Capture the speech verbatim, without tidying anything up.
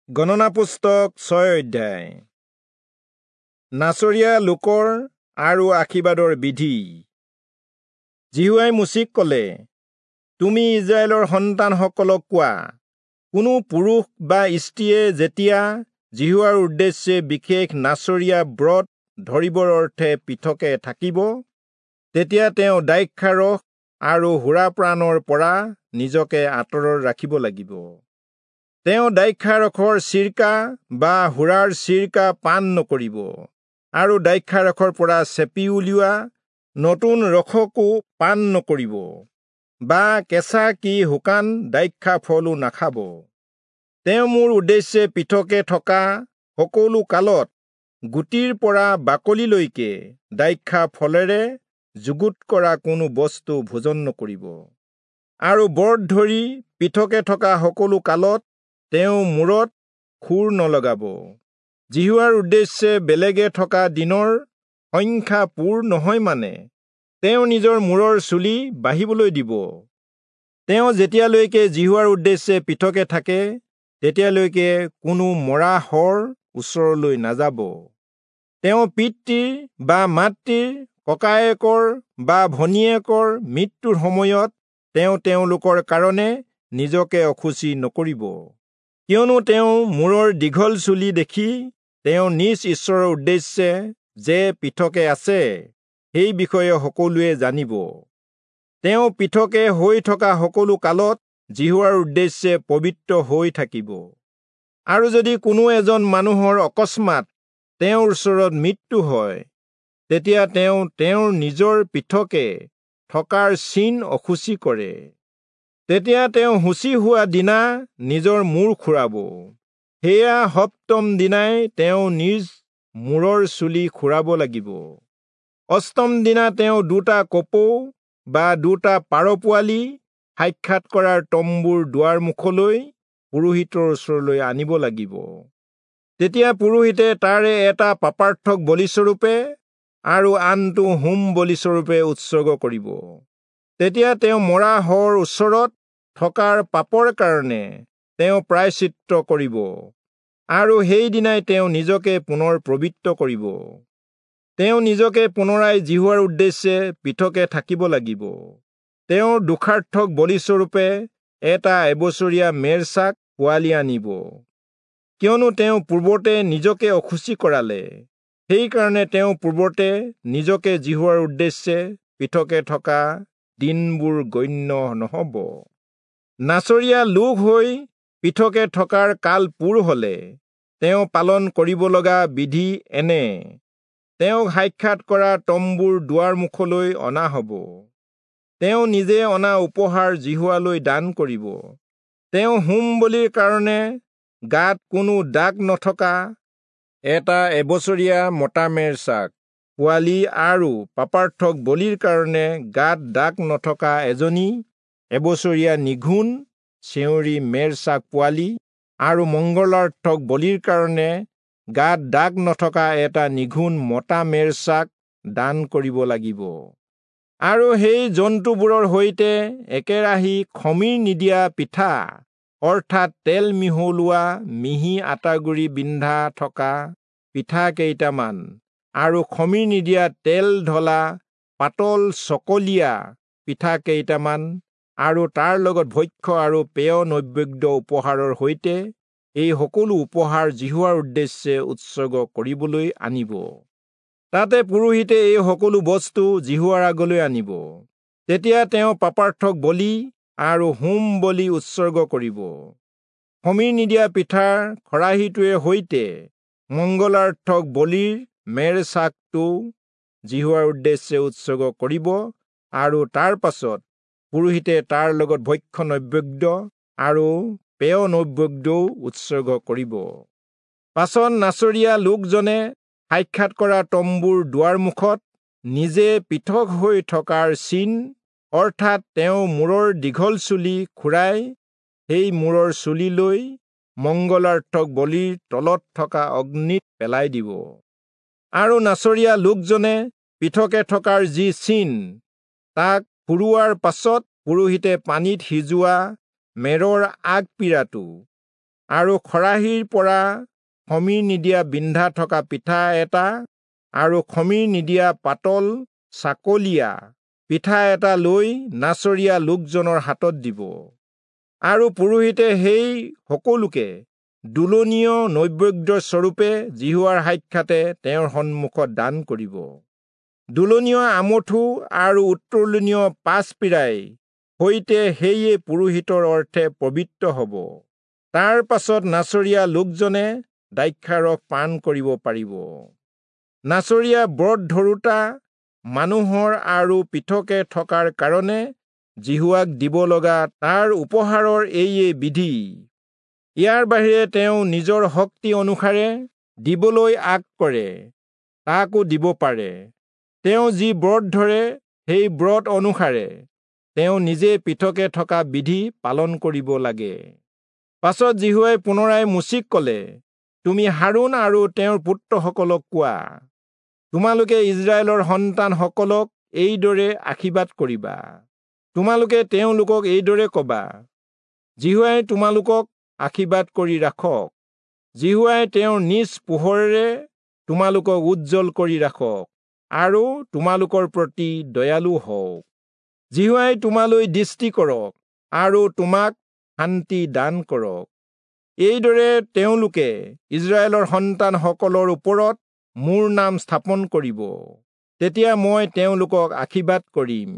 গণনা পুস্তক ছয় অধ্যায়। নাচৰীয়া লোকৰ আৰু আশীৰ্বাদৰ বিধি। যিহোৱাই মোচিক ক'লে, তুমি ইস্ৰায়েলৰ সন্তানসকলক কোৱা, কোনো পুৰুষ বা স্ত্ৰীয়ে যেতিয়া যিহোৱাৰ উদ্দেশ্যে বিশেষ নাচৰীয়া ব্ৰত ধৰিবৰ অৰ্থে পৃথকে থাকিব, তেতিয়া তেওঁ দ্ৰাক্ষাৰস আৰু সুৰাপানৰ পৰা নিজকে আঁতৰত ৰাখিব লাগিব। তেওঁ দ্ৰাক্ষাৰসৰ চিৰকা বা সুৰাৰ চিৰকা পান নকৰিব, আৰু দ্ৰাক্ষাৰসৰ পৰা চেপি উলিওৱা নতুন ৰসকো পান নকৰিব, বা কেঁচা কি শুকান দ্ৰাক্ষা ফলো নাখাব। তেওঁ মোৰ উদ্দেশ্যে পৃথকে থকা সকলো কালত গুটিৰ পৰা বাকলিলৈকে দ্ৰাক্ষা ফলেৰে যুগুত কৰা কোনো বস্তু ভোজন নকৰিব। আৰু ব্ৰত ধৰি পৃথকে থকা সকলো কালত তেওঁ মূৰত খুৰ নলগাব। যিহোৱাৰ উদ্দেশ্যে বেলেগে থকা দিনৰ সংখ্যা পূৰ নহয় মানে তেওঁ নিজৰ মূৰৰ চুলি বাঢ়িবলৈ দিব। তেওঁ যেতিয়ালৈকে যিহোৱাৰ উদ্দেশ্যে পৃথকে থাকে, তেতিয়ালৈকে কোনো মৰা শৰ ওচৰলৈ নাযাব। তেওঁ পিতৃৰ বা মাতৃৰ, ককায়েকৰ বা ভনীয়েকৰ মৃত্যুৰ সময়ত তেওঁ তেওঁলোকৰ কাৰণে নিজকে অশুচি নকৰিব, কিয়নো তেওঁ মূৰৰ দীঘল চুলি দেখি তেওঁ নিজ ঈশ্বৰৰ উদ্দেশ্যে যে পৃথকে আছে, সেই বিষয়ে সকলোৱে জানিব। তেওঁ পৃথকে হৈ থকা সকলো কালত যিহোৱাৰ উদ্দেশ্যে পবিত্ৰ হৈ থাকিব। আৰু যদি কোনো এজন মানুহৰ অকস্মাত তেওঁৰ ওচৰত মৃত্যু হয়, তেতিয়া তেওঁ তেওঁৰ নিজৰ পৃথকে থকাৰ চিন অশুচি কৰে। তেতিয়া তেওঁ শুচি হোৱা দিনা নিজৰ মূৰ খুৰাব। সেয়া সপ্তম দিনাই তেওঁ নিজ মূৰৰ চুলি খুৰাব লাগিব। অষ্টম দিনা তেওঁ দুটা কপৌ বা দুটা পাৰ পোৱালি সাক্ষাৎ কৰাৰ তম্বুৰ দুৱাৰ মুখলৈ পুৰোহিতৰ ওচৰলৈ আনিব লাগিব। তেতিয়া পুৰোহিতে তাৰে এটা পাপাৰ্থক বলিস্বৰূপে আৰু আনটো হোম বলিস্বৰূপে উৎসৰ্গ কৰিব। তেতিয়া তেওঁ মৰা শৰ ওচৰত থকাৰ পাপৰ কাৰণে তেওঁ প্ৰায়শ্চিত্ত কৰিব, আৰু সেইদিনাই তেওঁ নিজকে পুনৰ পবিত্ৰ কৰিব। তেওঁ নিজকে পুনৰাই যিহোৱাৰ উদ্দেশ্যে পৃথকে থাকিব লাগিব। তেওঁৰ দোষাৰ্থক বলিস্বৰূপে এটা এবছৰীয়া মেৰছাক পোৱালি আনিব, কিয়নো তেওঁ পূৰ্বতে নিজকে অশুচি কৰালে। সেইকাৰণে তেওঁ পূৰ্বতে নিজকে যিহোৱাৰ উদ্দেশ্যে পৃথকে থকা দিনবোৰ গণ্য নহ'ব। নাচৰীয়া লোক হৈ পৃথকে থকাৰ কাল পূৰ হলে তেওঁ পালন কৰিব লগা বিধি এনে: তেওঁক সাক্ষাৎ কৰা তম্বুৰ দুৱাৰ মুখলৈ অনা হ'ব। তেওঁ নিজে অনা উপহাৰ যিহোৱালৈ দান কৰিব। তেওঁ হোম বলিৰ কাৰণে গাত কোনো দাগ নথকা এটা এবছৰীয়া মতা মেৰছাক পোৱালি আৰু পাপাৰ্থক বলিৰ কাৰণে গাত দাগ নথকা এজনী এবছৰীয়া নিঘূণ চেউৰী মেৰছাক পোৱালি আৰু মংগলাৰ্থক বলিৰ কাৰণে গাত দাগ নথকা এটা নিঘূণ মতা মেৰছাক দান কৰিব লাগিব। আৰু সেই জন্তুবোৰৰ সৈতে একেৰাহি খমীৰ নিদিয়া পিঠা, অৰ্থাৎ তেল মিহলোৱা মিহি আটাগুড়ি বিন্ধা থকা পিঠা কেইটামান আৰু খমীৰ নিদিয়া তেল ঢলা পাতল চকলীয়া পিঠা কেইটামান আৰু তাৰ লগত ভক্ষ্য আৰু পেয় নৈবেদ্য উপহাৰৰ সৈতে এই সকলো উপহাৰ যিহোৱাৰ উদ্দেশ্যে উৎসৰ্গ কৰিবলৈ আনিব। তাতে পুৰোহিতে এই সকলো বস্তু যিহোৱাৰ আগলৈ আনিব। তেতিয়া তেওঁ পাপাৰ্থক বলি আৰু হোম বলি উৎসৰ্গ কৰিব। খমীৰ নিদিয়া পিঠাৰ খৰাহীটোৰে সৈতে মংগলাৰ্থক বলিৰ মেৰছাকটো যিহোৱাৰ উদ্দেশ্যে উৎসৰ্গ কৰিব, আৰু তাৰ পাছত পুৰোহিতে তাৰ লগত ভক্ষ্য নৈবেদ্য আৰু পেয় নৈবেদ্যও উৎসৰ্গ কৰিব। পাছত নাচৰীয়া লোকজনে সাক্ষাৎ কৰা তম্বুৰ দুৱাৰ মুখত নিজে পৃথক হৈ থকাৰ চিন, অৰ্থাৎ তেওঁ মূৰৰ দীঘল চুলি খুৰাই সেই মূৰৰ চুলি লৈ মংগলাৰ্থক বলিৰ তলত থকা অগ্নিত পেলাই দিব। আৰু নাচৰীয়া লোকজনে পৃথকে থকাৰ যি চিন, তাক ফুৰোৱাৰ পাছত পুৰোহিতে পানীত সিজোৱা মেৰৰ আগপীৰাটো আৰু খৰাহীৰ পৰা খমীৰ নিদিয়া বিন্ধা থকা পিঠা এটা আৰু খমীৰ নিদিয়া পাতল চাকলীয়া পিঠা এটা লৈ নাচৰীয়া লোকজনৰ হাতত দিব। আৰু পুৰোহিতে সেই সকলোকে দোলনীয় নৈবেদ্য স্বৰূপে যিহোৱাৰ সাক্ষাতে তেওঁৰ সন্মুখত দান কৰিব। দোলনীয় আমঠু আৰু উত্তোলনীয় পাঁচ পীৰাই সৈতে সেয়ে পুৰোহিতৰ অৰ্থে পবিত্ৰ হ'ব। তাৰ পাছত নাচৰীয়া লোকজনে দ্ৰাক্ষাৰস পান কৰিব পাৰিব। নাচৰীয়া ব্ৰত ধৰোঁতা মানুহৰ আৰু পৃথকে থকাৰ কাৰণে যিহোৱাক দিব লগা তাৰ উপহাৰৰ এইয়ে বিধি। ইয়াৰ বাহিৰে তেওঁ নিজৰ শক্তি অনুসাৰে দিবলৈ আগ কৰে তাকো দিব পাৰে। তেওঁ যি ব্ৰত ধৰে সেই ব্ৰত অনুসাৰে তেওঁ নিজে পৃথকে থকা বিধি পালন কৰিব লাগে। পাছত যিহোৱাই পুনৰাই মোচিক ক'লে, তুমি হাৰোণ আৰু তেওঁৰ পুত্ৰসকলক কোৱা, তোমালোকে ইস্ৰায়েলৰ সন্তানসকলক এইদৰে আশীৰ্বাদ কৰিবা। তোমালোকে তেওঁলোকক এইদৰে ক'বা, যিহোৱাই তোমালোকক আশীৰ্বাদ কৰি ৰাখক, যিহোৱাই তেওঁৰ নিজ পোহৰেৰে তোমালোকক উজ্জ্বল কৰি ৰাখক আৰু তোমালোকৰ প্ৰতি দয়ালু হওক। যিহোৱাই তোমালৈ দৃষ্টি কৰক আৰু তোমাক শান্তি দান কৰক। এইদৰে তেওঁলোকে ইস্ৰায়েলৰ সন্তানসকলৰ ওপৰত মোৰ নাম স্থাপন কৰিব। তেতিয়া মই তেওঁলোকক আশীৰ্বাদ কৰিম।